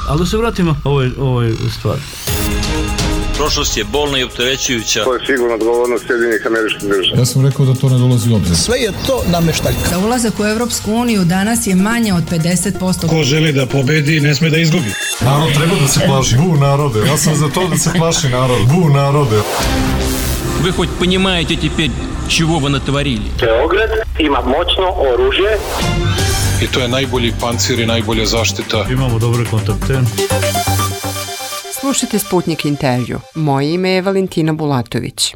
Ali da se vratimo ovoj stvari. Prošlost je bolna i opterećujuća. To je sigurno odgovornost Sjedinjenih Američkih Država. Ja sam rekao da to ne dolazi u obzir. Sve je to nameštaljka. Za ulazak u Evropsku uniju danas je manje od 50%. Ko želi da pobedi, ne sme da izgubi. Narod treba da se plaši. Bu narode. Ja sam za to da se plaši narod. Bu narode. Вы хоть понимаете теперь, чего вы натворили? Beograd ima moćno oružje. I to je najbolji pancir i najbolja zaštita. Imamo dobre kontakte. Slušajte Sputnik intervju. Moje ime je Valentina Bulatović.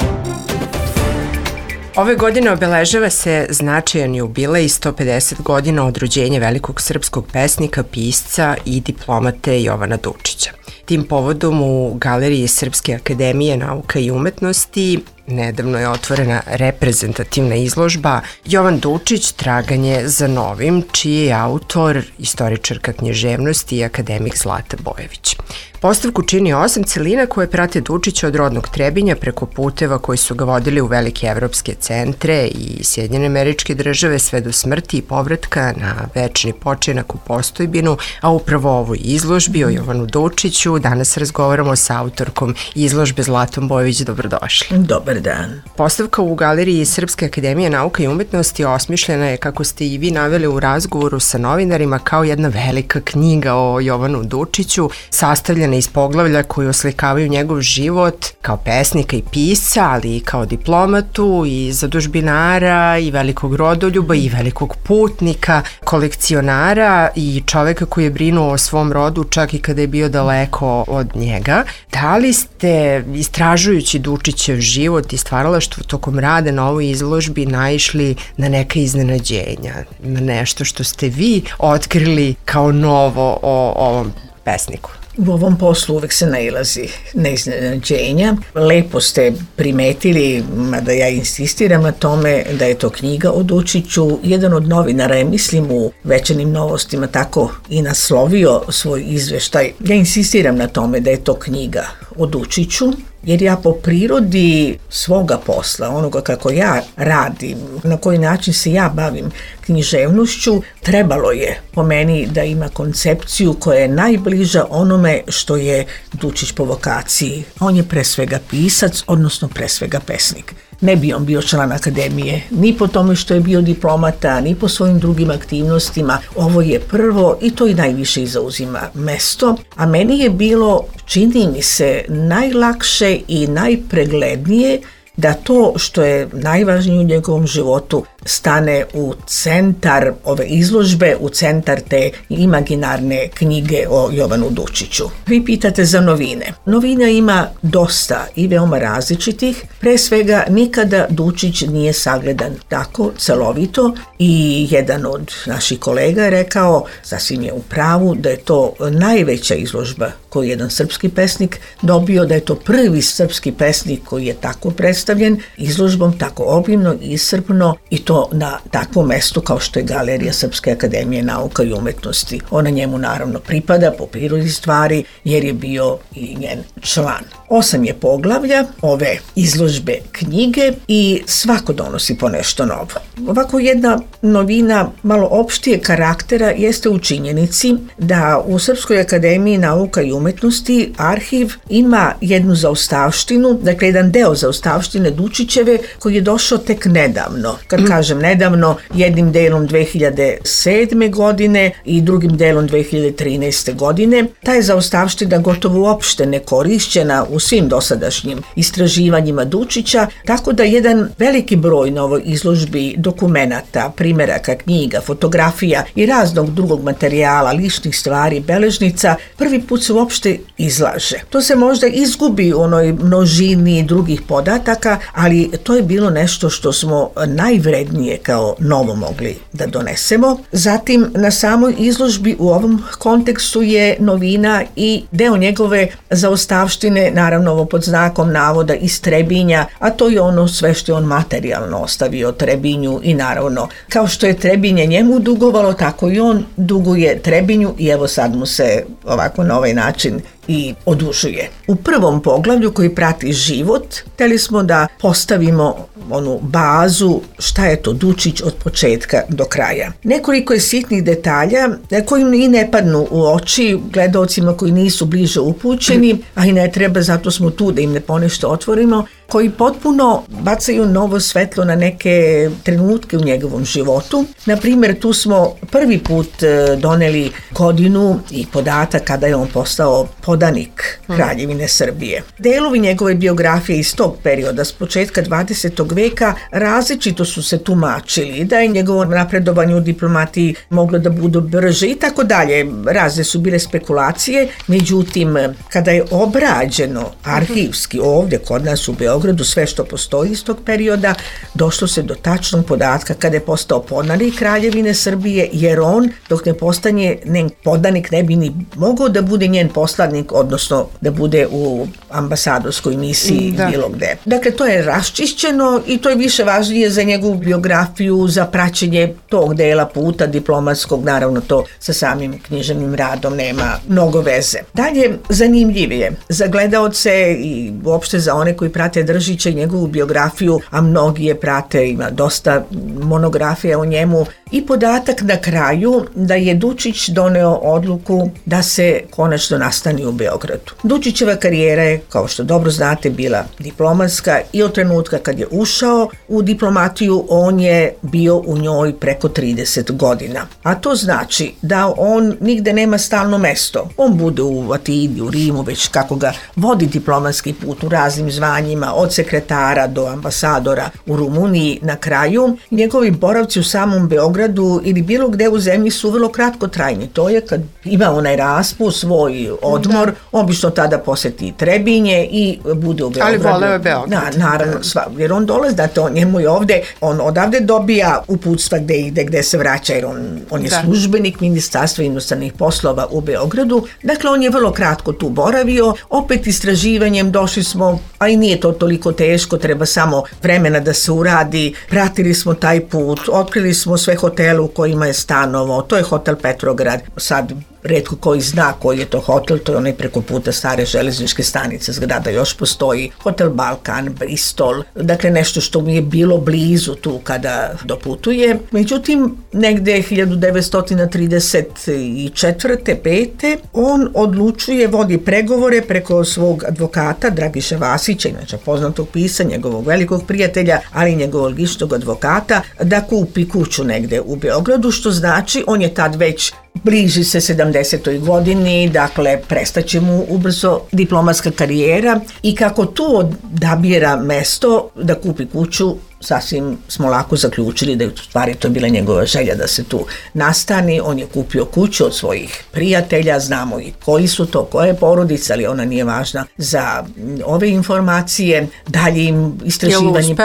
Ove godine obeležava se značajan jubilej 150 godina od rođenja velikog srpskog pesnika, pisca i diplomate Jovana Dučića. Tim povodom u Galeriji Srpske akademije nauka i umetnosti nedavno je otvorena reprezentativna izložba Jovan Dučić – Traganje za novim, čiji je autor istoričarka književnosti i akademik Zlata Bojević. Postavku čini 8 celina koje prate Dučića od rodnog Trebinja preko puteva koji su ga vodili u velike evropske centre i Sjedinjene Američke Države sve do smrti i povratka na večni počinak u Postojbinu, a upravo o ovoj izložbi o Jovanu Dučiću danas razgovaramo sa autorkom izložbe Zlatom Bojević. Dobrodošli. Dobar dan. Postavka u Galeriji Srpske akademije nauka i umetnosti osmišljena je, kako ste i vi naveli u razgovoru sa novinarima, kao jedna velika knjiga o Jovanu Dučiću, sastavljena iz poglavlja koji oslikavaju njegov život kao pesnika i pisca, ali i kao diplomatu i zadužbinara i velikog rodoljuba i velikog putnika, kolekcionara i čoveka koji je brinuo o svom rodu čak i kada je bio daleko od njega. Da li ste, istražujući Dučićev život i stvaralaštvo tokom rada na ovoj izložbi, naišli na neka iznenađenja, na nešto što ste vi otkrili kao novo o ovom pesniku? U ovom poslu uvek se nailazi na iznenađenja. Lepo ste primetili, mada ja insistiram na tome, da je to knjiga o Dučiću. Jedan od novinara je, mislim, u Večernjim novostima tako i naslovio svoj izveštaj. Ja insistiram na tome da je to knjiga o Dučiću, jer ja po prirodi svoga posla, onoga kako ja radim, na koji način se ja bavim književnošću, trebalo je po meni da ima koncepciju koja je najbliža onome što je Dučić po vokaciji. On je pre svega pisac, odnosno pre svega pesnik. Ne bi on bio član akademije, ni po tome što je bio diplomata, ni po svojim drugim aktivnostima. Ovo je prvo i to i najviše i zauzima mesto. A meni je bilo, čini mi se, najlakše i najpreglednije da to što je najvažnije u njegovom životu stane u centar ove izložbe, u centar te imaginarne knjige o Jovanu Dučiću. Vi pitate za novine. Novina ima dosta i veoma različitih. Pre svega, nikada Dučić nije sagledan tako celovito i jedan od naših kolega je rekao, sasvim je u pravu, da je to najveća izložba koju je jedan srpski pesnik dobio, da je to prvi srpski pesnik koji je tako predstavljen izložbom, tako obimno i iscrpno, i to na takvom mestu kao što je Galerija Srpske akademije nauka i umetnosti. Ona njemu naravno pripada po prirodi stvari jer je bio i njen član. 8 je poglavlja ove izložbe knjige i svako donosi po nešto novo. Ovako jedna novina malo opštije karaktera jeste u činjenici da u Srpskoj akademiji nauka i umetnosti arhiv ima jednu zaostavštinu, dakle jedan deo zaostavštine Dučićeve koji je došao tek nedavno. Kad kažem nedavno, jednim delom 2007. godine i drugim delom 2013. godine. Ta je zaostavština gotovo uopšte nekorišćena u svim dosadašnjim istraživanjima Dučića, tako da jedan veliki broj na ovoj izložbi dokumenata, primeraka, knjiga, fotografija i raznog drugog materijala, ličnih stvari, beležnica, prvi put se uopšte izlaže. To se možda izgubi u onoj množini drugih podataka, ali to je bilo nešto što smo najvrednije kao novo mogli da donesemo. Zatim, na samoj izložbi u ovom kontekstu je novina i deo njegove zaostavštine, naravno ovo pod znakom navoda, iz Trebinja, a to je ono sve što je on materijalno ostavio Trebinju i naravno, kao što je Trebinje njemu dugovalo, tako i on duguje Trebinju i evo sad mu se ovako na ovaj način i odužuje. U prvom poglavlju koji prati život, hteli smo da postavimo onu bazu šta je to Dučić od početka do kraja. Nekoliko je sitnih detalja koji i ne padnu u oči gledaocima koji nisu bliže upućeni, a i ne treba, zato smo tu da im ne ponešto otvorimo, koji potpuno bacaju novo svetlo na neke trenutke u njegovom životu. Na primjer, tu smo prvi put doneli godinu i podatak kada je on postao podanik Kraljevine Srbije. Delovi njegove biografije iz tog perioda, s početka 20. veka, različito su se tumačili, da je njegovo napredovanje u diplomatiji moglo da bude brže i tako dalje. Razne su bile spekulacije, međutim, kada je obrađeno arhivski ovdje kod nas u Beogradu sve što postoji iz tog perioda, došlo se do tačnog podatka kada je postao podanik Kraljevine Srbije, jer on, dok ne postane njen podanik, ne bi ni mogao da bude njen poslanik, odnosno da bude u ambasadorskoj misiji bilo gde. Dakle, to je raščišćeno i to je više važnije za njegovu biografiju, za praćenje tog dela puta diplomatskog, naravno to sa samim književnim radom nema mnogo veze. Dalje, zanimljivije za gledaoce i uopšte za one koji prate Držića i njegovu biografiju, a mnogi je prate, ima dosta monografija o njemu, i podatak na kraju da je Dučić doneo odluku da se konačno nastani u Beogradu. Dučićeva karijera je, kao što dobro znate, bila diplomatska i od trenutka kad je ušao u diplomatiju, on je bio u njoj preko 30 godina. A to znači da on nigde nema stalno mesto. On bude u Atini, u Rimu, već kako ga vodi diplomatski put u raznim zvanjima, od sekretara do ambasadora u Rumuniji. Na kraju, njegovi boravci u samom Beogradu ili bilo gde u zemlji su vrlo kratkotrajni. To je kad ima onaj raspust, svoj odmor, obično tada poseti Trebinje i bude u Beogradu. Ali voleo je Beograd. Naravno, jer on dolazi, znate, njemu je ovde, on odavde dobija uputstva gde ide, gde se vraća, jer on je službenik Ministarstva inostranih poslova u Beogradu. Dakle, on je vrlo kratko tu boravio. Opet istraživanjem došli smo, a i nije to toliko teško, treba samo vremena da se uradi. Pratili smo taj put, otkrili smo sve hotele u kojima je stanovao. To je hotel Petrograd. Sad retko koji zna koji je to hotel, to je onaj preko puta stare železničke stanice, zgrada još postoji. Hotel Balkan, Bristol, dakle nešto što mi je bilo blizu tu kada doputuje. Međutim, negde 1934. 5. on odlučuje, vodi pregovore preko svog advokata Dragiše Vasića, inače poznatog pisa, njegovog velikog prijatelja, ali i njegovog ličnog advokata, da kupi kuću negde u Beogradu, što znači on je tad već bliži se 70. godini, dakle prestaće mu ubrzo diplomatska karijera i kako tu odabira mesto da kupi kuću, sasvim smo lako zaključili da je u stvari to bila njegova želja da se tu nastani. On je kupio kuću od svojih prijatelja, znamo i koji su to, koja je porodica, ali ona nije važna za ove informacije. Dalje im istraživanje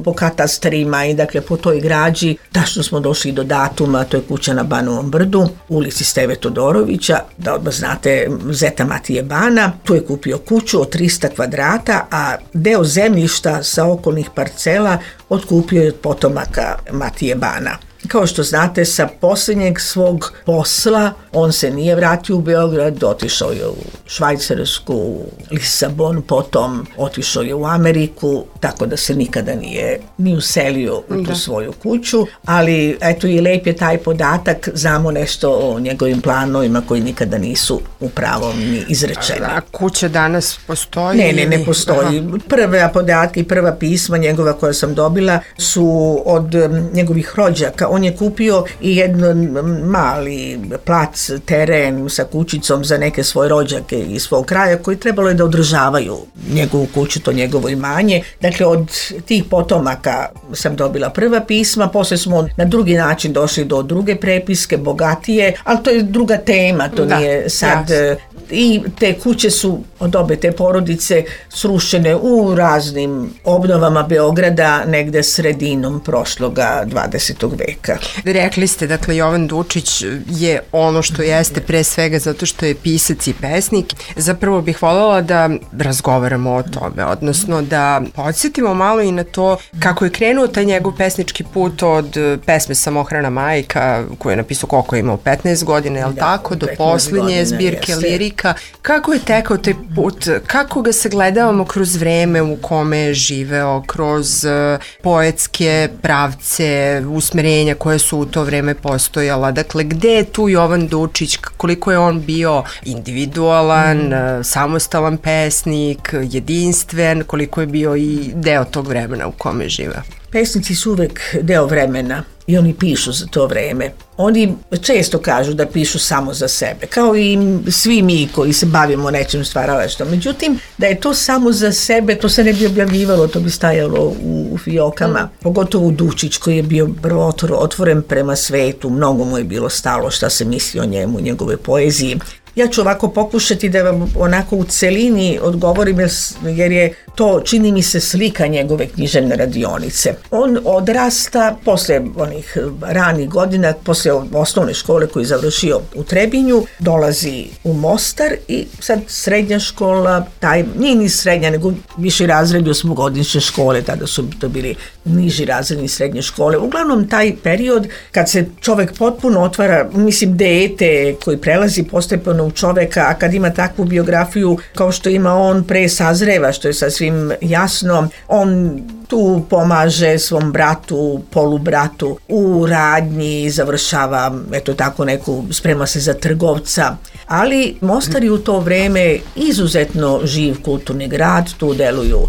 po katastrima i dakle po toj građi, tačno smo došli do datuma, to je kuća na Banovom brdu, ulici Steve Todorovića, da odmah znate zeta Matije Bana. Tu je kupio kuću od 300 kvadrata, a deo zemljišta sa okolnih parcela otkupio je od potomaka Matije Bana. Kao što znate, sa posljednjeg svog posla on se nije vratio u Beograd, otišao je u Švajcarsku, u Lisabon, potom otišao je u Ameriku, tako da se nikada nije ni uselio u tu svoju kuću, ali eto i lep je taj podatak, znamo nešto o njegovim planovima koji nikada nisu u pravom ni izrečeni. A kuća danas postoji? Ne postoji. Prve podatke i prva pisma njegova koja sam dobila su od njegovih rođaka. On je kupio i jedan mali plac, teren sa kućicom za neke svoje rođake iz svog kraja koji trebalo je da održavaju njegovu kuću, to njegovo imanje. Dakle, od tih potomaka sam dobila prva pisma, posle smo na drugi način došli do druge prepiske, bogatije, ali to je druga tema, to nije sad... I te kuće su od obe te porodice srušene u raznim obnovama Beograda negde sredinom prošloga 20. veka. Rekli ste, dakle, Jovan Dučić je ono što jeste pre svega zato što je pisac i pesnik. Zapravo bih voljela da razgovaramo o tome, odnosno da podsjetimo malo i na to kako je krenuo taj njegov pesnički put od pesme Samohrana majka koju je napisao koliko je imao 15 godina, je li tako, do posljednje zbirke lirike slika. Kako je tekao taj put? Kako ga sagledavamo kroz vreme u kome je živeo, kroz poetske pravce, usmerenja koje su u to vreme postojala? Dakle, gde je tu Jovan Dučić? Koliko je on bio individualan, samostalan pesnik, jedinstven? Koliko je bio i deo tog vremena u kome je živeo? Pesnici su uvek deo vremena i oni pišu za to vreme. Oni često kažu da pišu samo za sebe, kao i svi mi koji se bavimo nečim stvaralaštvom. Međutim, da je to samo za sebe, to se ne bi objavljivalo, to bi stajalo u fijokama. Pogotovo Dučić koji je bio otvoren prema svetu, mnogo mu je bilo stalo šta se misli o njemu, njegove poeziji. Ja ću ovako pokušati da vam onako u celini odgovorim jer je to, čini mi se, slika njegove književne radionice. On odrasta posle onih ranih godina, posle osnovne škole koju je završio u Trebinju, dolazi u Mostar i sad srednja škola, nije ni srednja, nego viši razredi osmogodišnje škole, tada su to bili niži razredni srednje škole. Uglavnom taj period kad se čovek potpuno otvara, mislim dete koji prelazi postepeno u čoveka, a kad ima takvu biografiju kao što ima on, pre sazreva, što je sasvim jasno. On tu pomaže svom bratu, polubratu u radnji, završava, eto tako neku, sprema se za trgovca. Ali Mostar je u to vreme izuzetno živ kulturni grad, tu deluju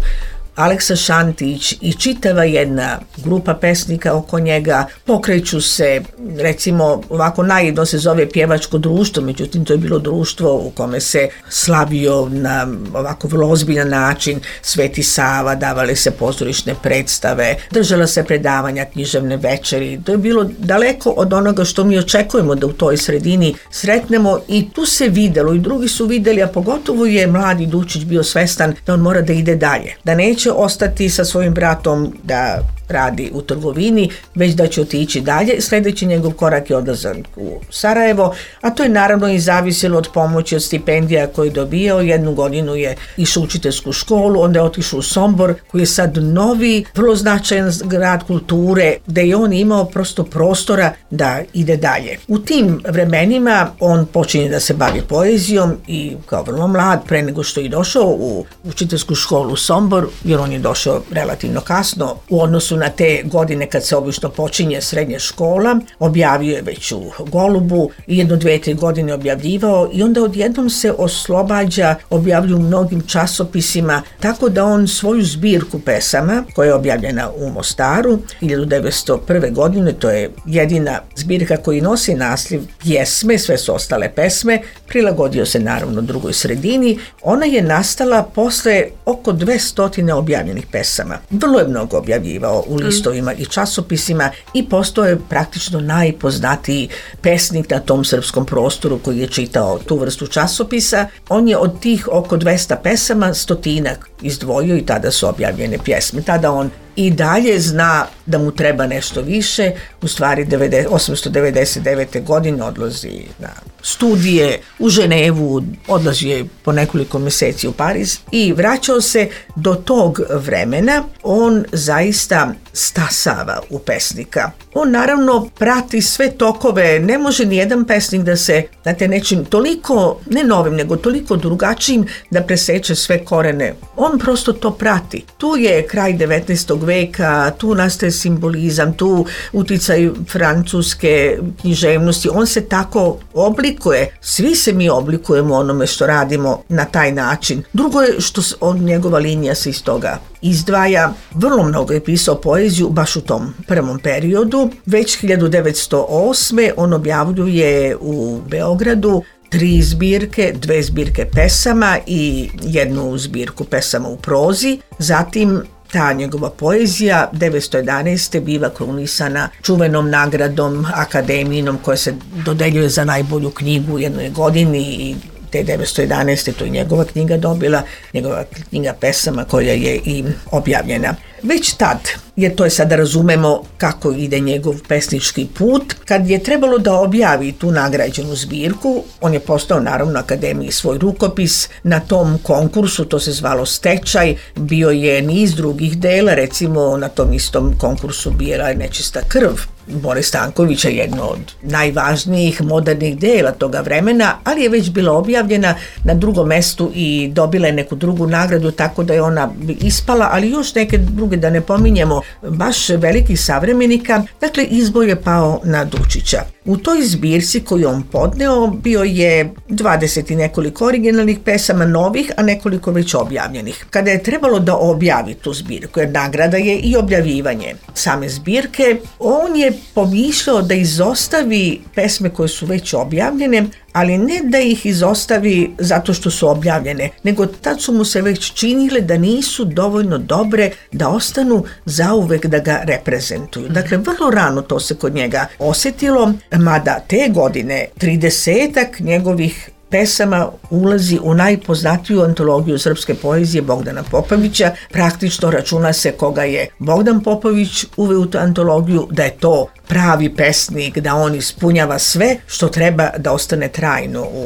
Aleksa Šantić i čitava jedna grupa pesnika oko njega, pokreću se, recimo ovako najedno se zove pjevačko društvo, međutim to je bilo društvo u kome se slavio na ovako vrlo ozbiljan način Sveti Sava, davale se pozorišne predstave, držala se predavanja, književne večeri, to je bilo daleko od onoga što mi očekujemo da u toj sredini sretnemo i tu se videlo i drugi su videli, a pogotovo je mladi Dučić bio svestan da on mora da ide dalje, da neće ostati sa svojim bratom da radi u trgovini, već da će otići dalje. Sljedeći njegov korak je odlazak u Sarajevo, a to je naravno i zavisilo od pomoći, od stipendija koje je dobijao. Jednu godinu je išao u učiteljsku školu, onda je otišao u Sombor, koji je sad novi, vrlo značajan grad kulture, gde je on imao prosto prostora da ide dalje. U tim vremenima on počinje da se bavi poezijom i kao vrlo mlad, pre nego što je došao u učiteljsku školu u Sombor, jer on je došao relativno kasno u odnosu na te godine kad se obično počinje srednja škola, objavio je već u Golubu i 1-2-3 godine objavljivao i onda odjednom se oslobađa, objavlju u mnogim časopisima, tako da on svoju zbirku pesama, koja je objavljena u Mostaru 1901. godine, to je jedina zbirka koji nosi naslov Pjesme, sve su ostale pesme, prilagodio se naravno drugoj sredini. Ona je nastala posle oko 200 objavljenih pesama. Vrlo je mnogo objavljivao u listovima i časopisima i postao je praktično najpoznatiji pesnik na tom srpskom prostoru koji je čitao tu vrstu časopisa. On je od tih oko 200 pesama 100 izdvojio i tada su objavljene pjesme. Tada on i dalje zna da mu treba nešto više. U stvari 1899. godine odlazi na studije u Ženevu, odlazi je po nekoliko mjeseci u Pariz i vraćao se. Do tog vremena on zaista stasava u pesnika. On naravno prati sve tokove, ne može ni jedan pesnik da se, znate, nečim toliko, ne novim, nego toliko drugačijim da preseče sve korene. On prosto to prati. Tu je kraj 19. veka, tu nastaje simbolizam, tu uticaj francuske književnosti, on se tako oblikuje. Svi se mi oblikujemo onome što radimo na taj način. Drugo je što njegova linija se iz toga izdvaja. Vrlo mnogo je pisao poeziju baš u tom prvom periodu. Već 1908. on objavljuje u Beogradu 3 zbirke, 2 zbirke pesama i 1 zbirku pesama u prozi. Zatim ta njegova poezija 1911. biva krunisana čuvenom nagradom akademijinom koja se dodeljuje za najbolju knjigu u jednoj godini i te 1911. to je njegova knjiga dobila, njegova knjiga pesama koja je i objavljena. već tad, jer to je sada razumemo kako ide njegov pesnički put, kad je trebalo da objavi tu nagrađenu zbirku, on je postao naravno akademiji svoj rukopis. Na tom konkursu, to se zvalo Stečaj, bio je niz drugih dela, recimo na tom istom konkursu Bijela je nečista krv Bore Stankovića, jedno od najvažnijih modernih dela toga vremena, ali je već bila objavljena na drugom mestu i dobila je neku drugu nagradu, tako da je ona ispala, ali još neke druge da ne pominjemo, baš velikih savremenika. Dakle, izbor je pao na Dučića. U toj zbirci koju on podneo bio je 20 i nekoliko originalnih pesama novih, a nekoliko već objavljenih. Kada je trebalo da objavi tu zbirku, jer nagrada je i objavljivanje same zbirke, on je pomišljao da izostavi pesme koje su već objavljene, ali ne da ih izostavi zato što su objavljene, nego tad su mu se već činile da nisu dovoljno dobre da ostanu zauvek da ga reprezentuju. Dakle, vrlo rano to se kod njega osjetilo, mada te godine 30-ak njegovih pesama ulazi u najpoznatiju antologiju srpske poezije Bogdana Popovića. Praktično računa se koga je Bogdan Popović uveo u tu antologiju, da je to pravi pesnik, da on ispunjava sve što treba da ostane trajno u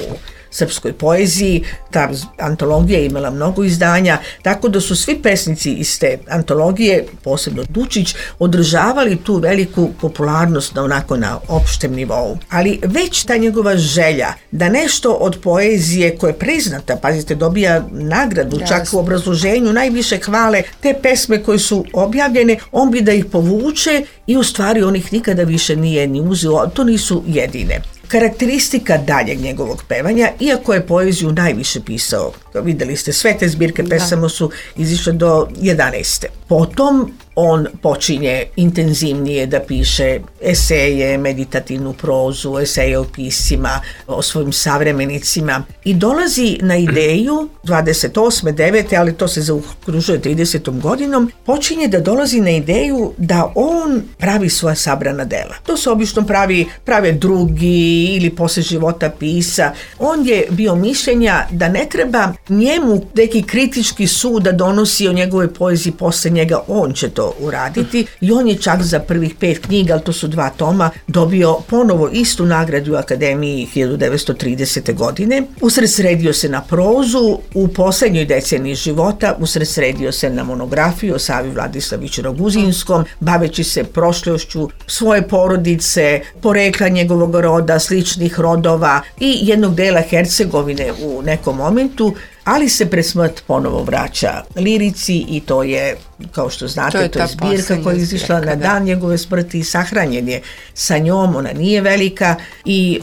srpskoj poeziji. Ta antologija je imala mnogo izdanja, tako da su svi pesnici iz te antologije, posebno Dučić, održavali tu veliku popularnost na opštem nivou. Ali već ta njegova želja da nešto od poezije koja je priznata, pazite, dobija nagradu, čak u obrazloženju najviše hvale, te pesme koje su objavljene, on bi da ih povuče i u stvari on ih nikada više nije ni uzeo, to nisu jedine. Karakteristika daljeg njegovog pevanja, iako je poeziju najviše pisao, videli ste, sve te zbirke pesama su izišle do 11. Potom on počinje intenzivnije da piše eseje, meditativnu prozu, eseje o piscima, o svojim savremenicima i dolazi na ideju 28. 9. ali to se zaokružuje 30. godinom, počinje da dolazi na ideju da on pravi svoja sabrana dela. To se obično prave drugi ili posle života pisa. On je bio mišljenja da ne treba njemu neki kritički sud da donosi o njegovoj poeziji posle njega, on će to uraditi i on je čak za prvih 5 knjiga, ali to su 2 toma, dobio ponovo istu nagradu u Akademiji 1930. godine. Usredsredio se na prozu, u poslednjoj deceniji života usredsredio se na monografiju o Savi Vladislaviću Roguzinskom, baveći se prošlošću svoje porodice, porekla njegovog roda, sličnih rodova i jednog dela Hercegovine u nekom momentu, ali se pred smrt ponovo vraća lirici i to je, kao što znate, to je zbirka koja je izišla na dan njegove smrti i sahranjen je sa njom. Ona nije velika i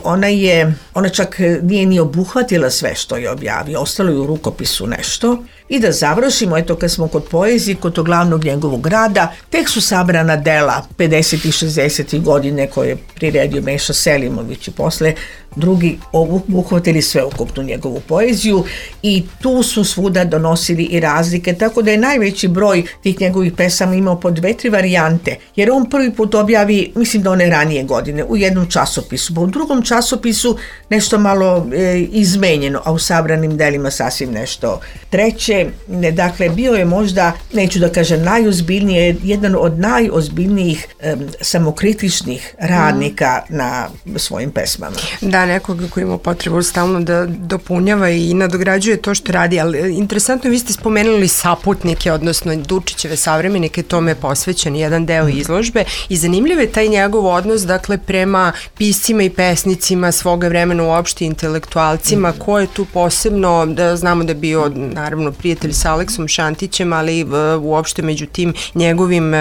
ona čak nije ni obuhvatila sve što je objavio, ostalo je u rukopisu nešto. I da završimo, eto, kad smo kod poezije, kod tog glavnog njegovog rada, tek su sabrana dela 50. i 60. godine koje je priredio Meša Selimović i posle drugi obuhvatili sveukupnu njegovu poeziju i tu su svuda donosili i razlike, tako da je najveći broj tih njegovih pesama imao po 2-3 varijante, jer on prvi put objavi, mislim da one ranije godine, u jednom časopisu, pa u drugom časopisu nešto malo izmenjeno, a u sabranim delima sasvim nešto treće. Dakle, bio je možda, neću da kažem najozbiljnije, jedan od najozbiljnijih samokritičnih radnika na svojim pesmama. Da, nekoga koji ima potrebu stalno da dopunjava i nadograđuje to što radi, ali interesantno, vi ste spomenuli saputnike, odnosno Dučićeve savremenike, tome je posvećen jedan deo izložbe i zanimljiv je taj njegov odnos, dakle, prema piscima i pesnicima svoga vremena, uopšte intelektualcima, ko je tu posebno, da znamo da je bio, naravno, prijatelj sa Aleksom Šantićem, ali uopšte među tim njegovim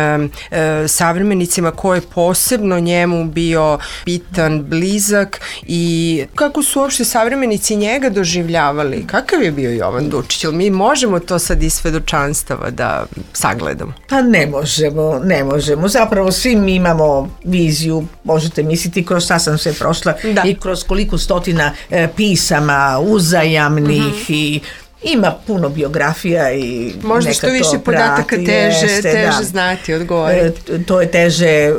savremenicima, ko je posebno njemu bio bitan, blizak i kako su uopšte savremenici njega doživljavali? Kakav je bio Jovan Dučić? Jel mi možemo to sad iz svedočanstava da sagledamo? Pa ne možemo. Zapravo svi mi imamo viziju, možete misliti kroz šta sam sve prošla i kroz koliko stotina pisama uzajamnih i Ima puno biografija i možda što više podataka teže znati, odgovoriti. To je teže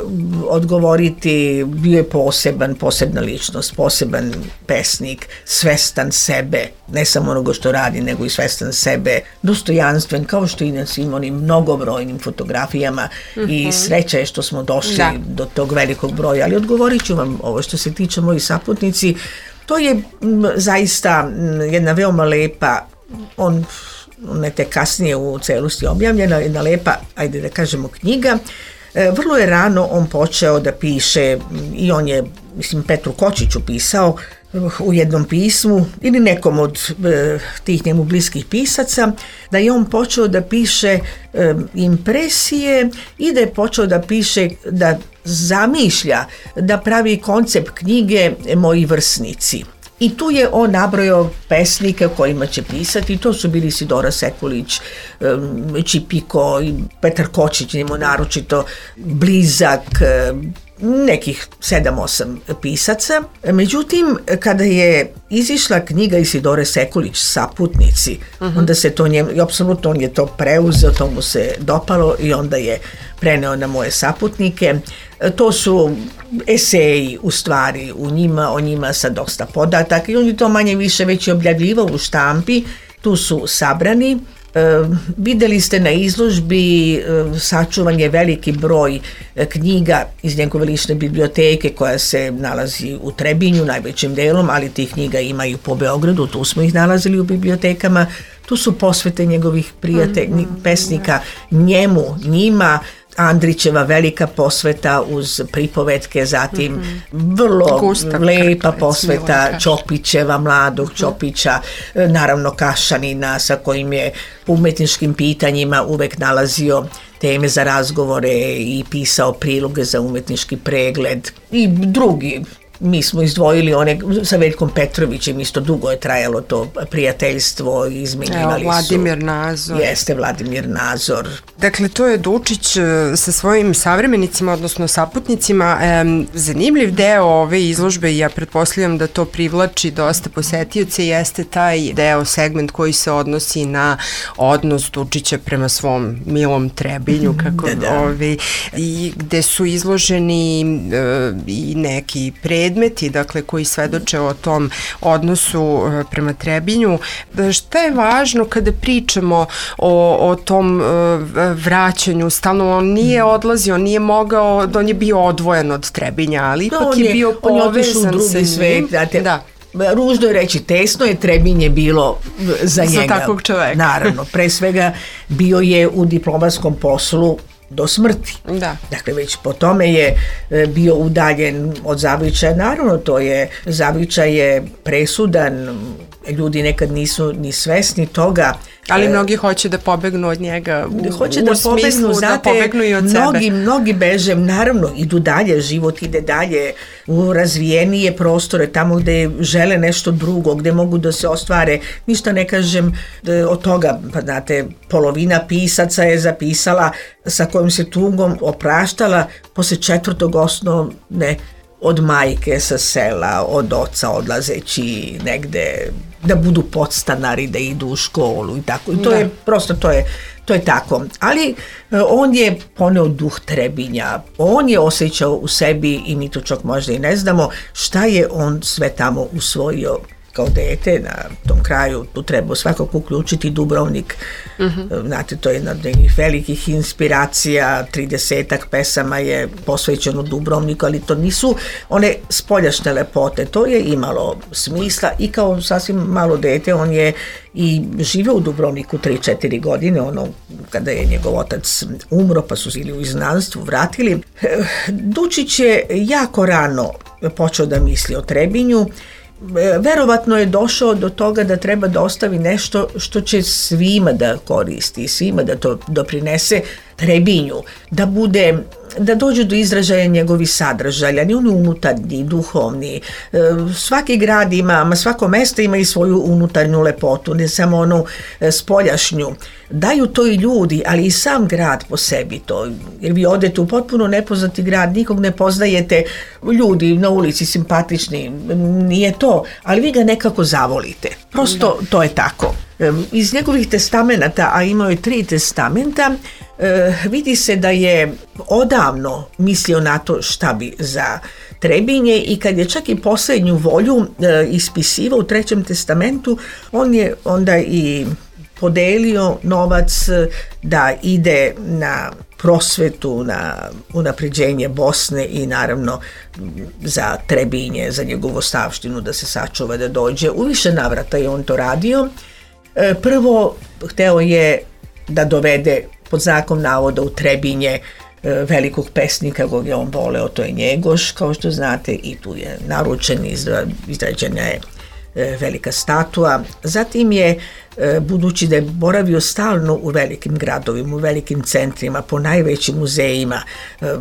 odgovoriti. Bio je posebna ličnost, poseban pesnik, svestan sebe, ne samo onoga što radi, nego i svestan sebe, dostojanstven, kao što i na svim onim mnogobrojnim fotografijama i sreća je što smo došli do tog velikog broja. Ali odgovorit ću vam ovo što se tiče moji saputnici. To je zaista jedna veoma lepa, ona je tek kasnije u celosti objavljena, jedna lepa, ajde da kažemo, knjiga. Vrlo je rano on počeo da piše i on je, mislim, Petru Kočiću pisao u jednom pismu ili nekom od tih njemu bliskih pisaca, da je on počeo da piše impresije i da je počeo da piše, da zamišlja, da pravi koncept knjige Moji vrsnici. I tu je on nabrojao pesnike kojima će pisati, to su bili Sidora Sekulić, Čipiko i Petar Kočić, njemu naročito blizak, nekih 7-8 pisaca. Međutim, kada je izišla knjiga Isidore Sekulić, Saputnici, onda se to njemu, i apsolutno on je to preuzeo, to mu se dopalo i onda je preneo na moje saputnike. To su eseji u stvari o njima sa dosta podataka i on je to manje više već i objavljivao u štampi, tu su sabrani. Videli ste na izložbi sačuvan je veliki broj knjiga iz njegove lične biblioteke koja se nalazi u Trebinju najvećim delom, ali tih knjiga ima i po Beogradu, tu smo ih nalazili u bibliotekama. Tu su posvete njegovih pesnika njima, Andrićeva velika posveta uz pripovetke, zatim vrlo Gustav lepa posveta Ćopićeva, mladog Ćopića, naravno Kašanina sa kojim je u umetničkim pitanjima uvek nalazio teme za razgovore i pisao priloge za umetnički pregled i drugi. Mi smo izdvojili one sa Veljkom Petrovićem, isto dugo je trajalo to prijateljstvo, izmenjivali su. Vladimir Nazor. Jeste, Vladimir Nazor. Dakle, to je Dučić sa svojim savremenicima, odnosno saputnicima. Zanimljiv deo ove izložbe, ja pretpostavljam da to privlači dosta posetioce, jeste taj deo, segment koji se odnosi na odnos Dučića prema svom milom Trebinju, kako i gde su izloženi i neki predmeti, dakle, koji svedoče o tom odnosu prema Trebinju. Šta je važno kada pričamo o tom vraćanju? Stalno on nije odlazio, nije mogao, on je bio odvojen od Trebinja, ali ipak je bio povezan sa drugi svet, da. Ružno je reći, tesno je, Trebinje bilo za njega. Za takvog čoveka. Naravno, pre svega bio je u diplomatskom poslu do smrti. Da. Dakle, već po tome je bio udaljen od Zavičaja. Naravno, Zavičaj je presudan, ljudi nekad nisu ni svesni toga. Ali mnogi hoće da pobegnu od njega hoće da pobegnu, znate, da pobegnu i od sebe. Mnogi beže, naravno, idu dalje, život ide dalje u razvijenije prostore, tamo gde žele nešto drugo, gde mogu da se ostvare. Ništa ne kažem od toga, pa znate, polovina pisaca je zapisala sa kojom se tugom opraštala posle 4. osnovne od majke sa sela, od oca odlazeći negde da budu podstanari, da idu u školu i tako. I to je prosto, to je tako. Ali on je poneo duh Trebinja. On je osjećao u sebi, i mi to čak možda i ne znamo, šta je on sve tamo usvojio kao dete na tom kraju. Tu treba svakako uključiti Dubrovnik. Znate, to je jedna od nekih velikih inspiracija, 30-ak pesama je posvećeno Dubrovniku, ali to nisu one spoljašnje lepote, to je imalo smisla i kao sasvim malo dete on je i živeo u Dubrovniku 3-4 godine, kada je njegov otac umro, pa su ili u izgnanstvu vratili. Dučić je jako rano počeo da misli o Trebinju. Verovatno je došao do toga da treba da ostavi nešto što će svima da koristi, svima da to doprinese Trebinju, da bude da dođu do izražaja njegovi sadržaja, ni oni unutarnji, duhovni. Svaki grad ima, svako mesto ima i svoju unutarnju lepotu, ne samo onu spoljašnju. Daju to i ljudi, ali i sam grad po sebi to. Jer vi odete u potpuno nepoznati grad, nikog ne poznajete, ljudi na ulici simpatični, nije to, ali vi ga nekako zavolite. Prosto to je tako. Iz njegovih testamenata, a imao je 3 testamenta, vidi se da je odavno mislio na to šta bi za Trebinje i kad je čak i posljednju volju ispisivao u 3. testamentu, on je onda i podelio novac da ide na prosvetu, na unapređenje Bosne i naravno za Trebinje, za njegovu ostavštinu da se sačuva, da dođe. U više navrata je on to radio. Prvo, hteo je da dovede pod znakom navoda u Trebinje velikog pesnika kog je on voleo, to je Njegoš, kao što znate, i tu je naručen, izrađena je velika statua. Zatim je, budući da je boravio stalno u velikim gradovima, u velikim centrima, po najvećim muzejima,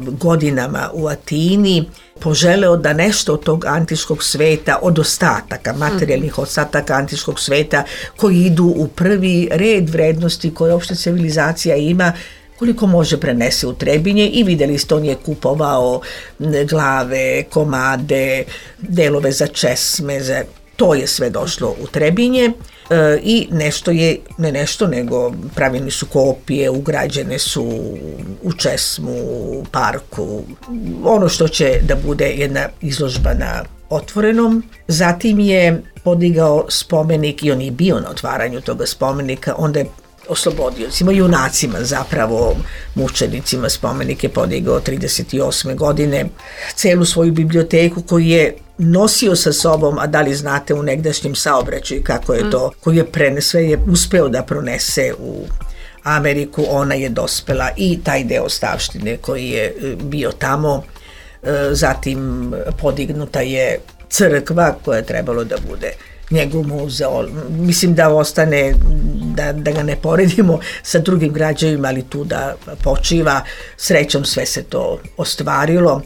godinama u Atini, poželeo da nešto od tog antičkog sveta, od ostataka, materijalnih ostataka antičkog sveta, koji idu u prvi red vrednosti koje opšte civilizacija ima, koliko može prenese u Trebinje, i vidjeli ste, on je kupovao glave, komade, delove za česme, to je sve došlo u Trebinje i nešto je, ne nešto, nego pravljeni su kopije, ugrađene su u česmu, u parku, ono što će da bude jedna izložba na otvorenom. Zatim je podigao spomenik i on je bio na otvaranju toga spomenika, onda je oslobodiocima, junacima, zapravo mučenicima, spomenik je podigao 38. godine. Celu svoju biblioteku koju je nosio sa sobom, a da li znate u negdašnjem saobraćaju kako je to, koju je sve je uspeo da pronese u Ameriku, ona je dospela i taj deo ostavštine koji je bio tamo. Zatim podignuta je crkva koja je trebalo da bude njegov muzeo. Mislim da ostane, da ga ne poredimo sa drugim građevima, ali tu da počiva. Srećom sve se to ostvarilo.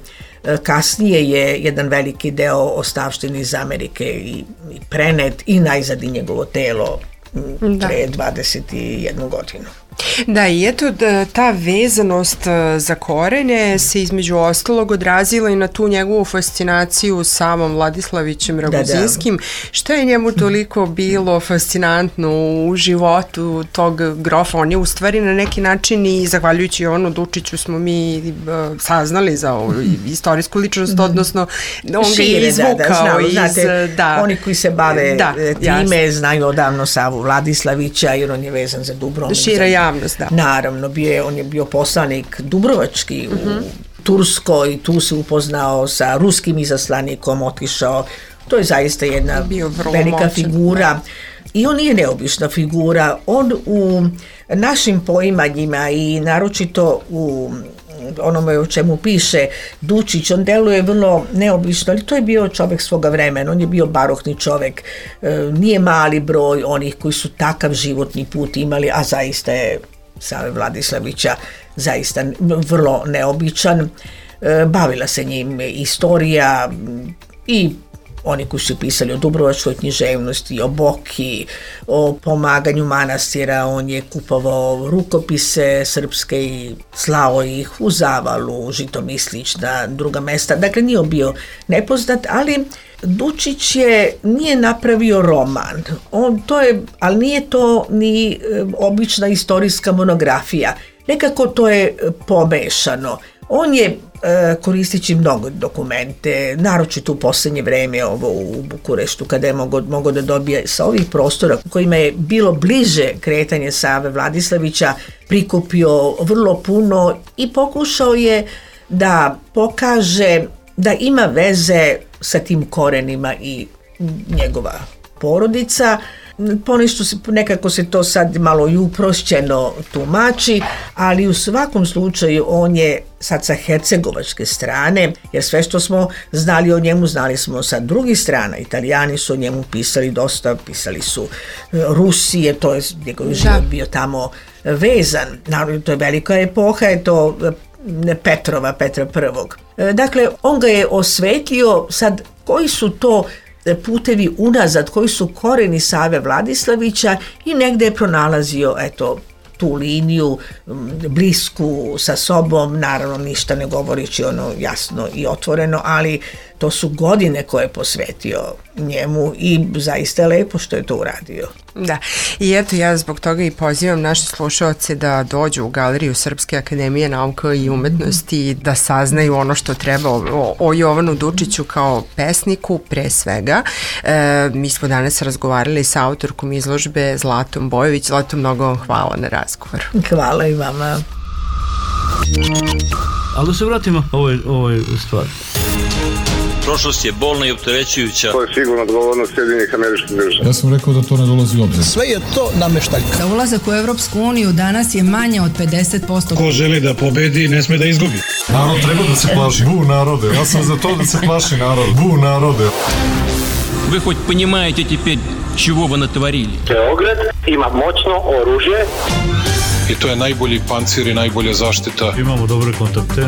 Kasnije je jedan veliki deo ostavštine iz Amerike i prenet i najzad i njegovo telo pre 21 godinu. Da, i eto ta vezanost za korene se između ostalog odrazila i na tu njegovu fascinaciju samom Vladislavićem Raguzinskim. Šta je njemu toliko bilo fascinantno u životu tog grofa? On je u stvari na neki način, i zahvaljujući Jovanu Dučiću smo mi saznali za ovu istorijsku ličnost, odnosno on ga je izvukao iz... Oni koji se bave time znaju odavno Savu Vladislavića, jer on je vezan za Dubrovnik. Šira javnost, da. Naravno, on je bio poslanik dubrovački u Turskoj, tu se upoznao sa ruskim izaslanikom, otišao. To je zaista jedna velika figura. I on nije neobična figura. On u našim poimanjima i naročito u onome o čemu piše Dučić, on deluje vrlo neobično, ali to je bio čovjek svoga vremena, on je bio barokni čovjek, nije mali broj onih koji su takav životni put imali, a zaista je Save Vladislavića zaista vrlo neobičan. Bavila se njim istorija i oni koji su pisali o dubrovačkoj književnosti, o Boki, o pomaganju manastira. On je kupovao rukopise srpske i slao ih u Zavalu, Žitomislić, na druga mesta. Dakle, nije bio nepoznat, ali Dučić nije napravio roman. Ali nije to ni obična istorijska monografija. Nekako to je pomešano. On je koristeći mnogo dokumente, naročito u posljednje vreme ovo u Bukureštu, kada je mogao da dobije sa ovih prostora kojima je bilo bliže kretanje Save Vladislavića, prikupio vrlo puno i pokušao je da pokaže da ima veze sa tim korenima i njegova porodica. Ponešto nekako se to sad malo i uprošćeno tumači, ali u svakom slučaju on je sad sa hercegovačke strane, jer sve što smo znali o njemu, znali smo sa drugih strana. Italijani su o njemu pisali dosta, pisali su Rusije, to je njegov život bio tamo vezan. Naravno, to je velika epoha, je to Petra I. Dakle, on ga je osvetlio. Sad, koji su to putevi unazad, koji su koreni Save Vladislavića, i negde je pronalazio, tu liniju blisku sa sobom, naravno ništa ne govorići jasno i otvoreno, ali to su godine koje je posvetio njemu i zaista je lepo što je to uradio. Da, i eto ja zbog toga i pozivam naše slušaoce da dođu u Galeriju Srpske akademije nauka i umetnosti i da saznaju ono što treba o Jovanu Dučiću kao pesniku pre svega. Mi smo danas razgovarali sa autorkom izložbe Zlatom Bojović. Zlato, mnogo vam hvala na razgovor. Hvala i vama. Ali da se vratimo ovoj stvari. Prošlost je bolna i opterećujuća. To je sigurno odgovornost Sjedinjenih Američkih Država. Ja sam rekao da to ne dolazi u obzir. Sve je to nameštaljka. Za ulazak u Evropsku uniju danas je manje od 50%. Ko želi da pobedi, ne sme da izgubi. Narod treba da se plaši. Bu narode. Ja sam za to da se plaši narod. Bu narode. Вы хоть понимаете теперь, чего вы натворили? Beograd ima moćno oružje. I to je najbolji pancir i najbolja zaštita. Imamo dobre kontakte.